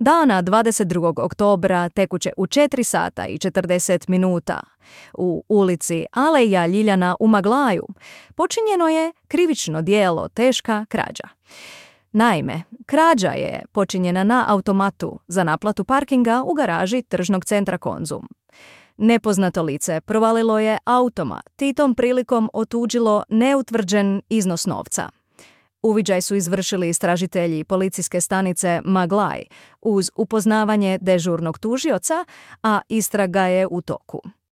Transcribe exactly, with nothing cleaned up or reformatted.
Dana dvadeset drugog oktobra tekuće u četiri sata i četrdeset minuta u ulici Aleja Ljiljana u Maglaju počinjeno je krivično djelo teška krađa. Naime, krađa je počinjena na automatu za naplatu parkinga u garaži tržnog centra Konzum. Nepoznato lice provalilo je automat i tom prilikom otuđilo neutvrđen iznos novca. Uviđaj su izvršili istražitelji policijske stanice Maglaj uz upoznavanje dežurnog tužioca, a istraga je u toku.